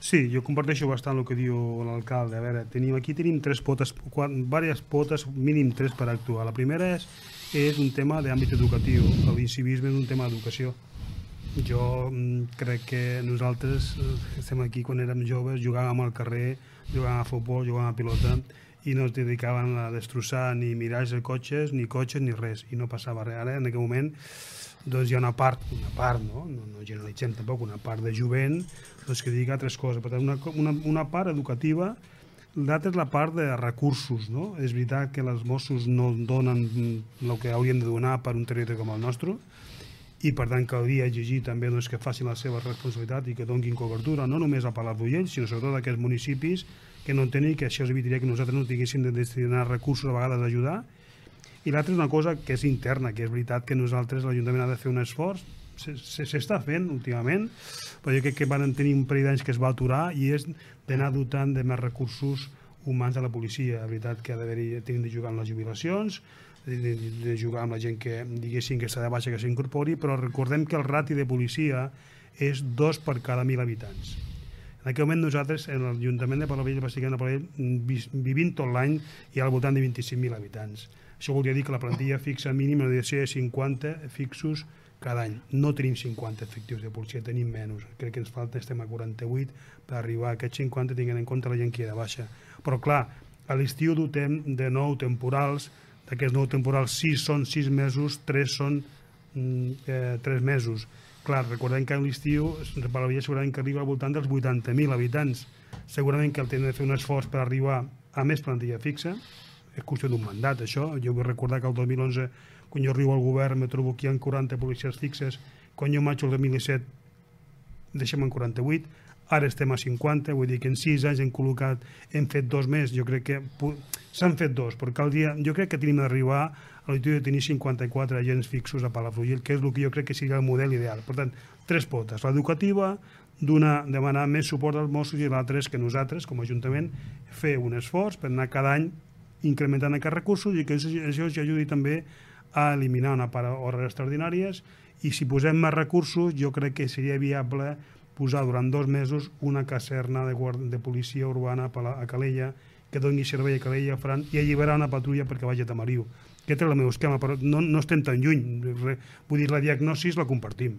Sí, jo comparteixo bastant el que diu l'alcalde. A veure, aquí tenim tres potes, diverses potes, mínim tres per actuar. La primera és un tema d'àmbit educatiu. L'incivisme és un tema d'educació. Jo crec que nosaltres estem aquí quan érem joves, jugàvem al carrer, jugàvem a futbol, jugàvem a pilota i no es dedicaven a destrossar ni miralls de cotxes ni res, i no passava res. Ara, en aquell moment, doncs hi ha una part, no generalitzem tampoc, una part de jovent que dedica a altres coses. Per tant, una part educativa, l'altra és la part de recursos, no? És veritat que els Mossos no donen el que haurien de donar per un territori com el nostre, i per tant caldria exigir també que facin la seva responsabilitat i que donin cobertura no només a Palafrugell, sinó sobretot a aquests municipis que no en tenen, i que això evitaria que nosaltres no tinguéssim de destinar recursos a vegades a ajudar. I l'altra és una cosa que és interna, que és veritat que nosaltres, l'Ajuntament, ha de fer un esforç, s'està fent últimament, però jo crec que van tenir un parell d'anys que es va aturar, i és d'anar dotant de més recursos humans a la policia. La veritat que tenim de jugar amb les jubilacions, de jugar amb la gent que diguéssim que està de baixa, que s'incorpori, però recordem que el rati de policia és 2 per cada 1.000 habitants. En aquell moment nosaltres, en l'Ajuntament de Palavell, bàsicament a Palavell, vivint tot l'any, hi ha al voltant de 25.000 habitants. Això volia dir que la plantilla fixa mínima hauria de ser 50 fixos cada any. No tenim 50 efectius de policia, tenim menys. Crec que ens falta, estem a 48, per arribar a aquests 50 tinguent en compte la gent que hi ha de baixa. Però clar, a l'estiu dotem de 9 temporals, d'aquests 9 temporals 6 són 6 mesos, 3 són 3 mesos. Clar, recordem que a l'estiu Palavell segurament que arriba al voltant dels 80.000 habitants. Segurament que el tenen de fer un esforç per arribar a més plantilla fixa. És qüestió d'un mandat, això. Jo vull recordar que el 2011, quan jo arribo al govern, me trobo que hi ha 40 policies fixes. Quan jo marxo el 2017, deixem en 48. Ara estem a 50, vull dir que en 6 anys hem fet 2 més. Jo crec que s'han fet 2, però jo crec que tenim d'arribar a l'objectiu de tenir 54 agents fixos a Palafrugell, que és el que jo crec que seria el model ideal. Per tant, 3 potes. L'educativa, demanar més suport als Mossos, i l'altra és que nosaltres, com a Ajuntament, fer un esforç per anar cada any incrementant aquests recursos, i que això ens ajudi també a eliminar una part d'hores extraordinàries, i si posem més recursos jo crec que seria viable posar durant 2 mesos una caserna de policia urbana a Calella, que doni servei a Calella, Fran, i alliberar una patrulla perquè vagi a Tamariu. Aquest és el meu esquema, però no estem tan lluny. Vull dir, la diagnosi la compartim.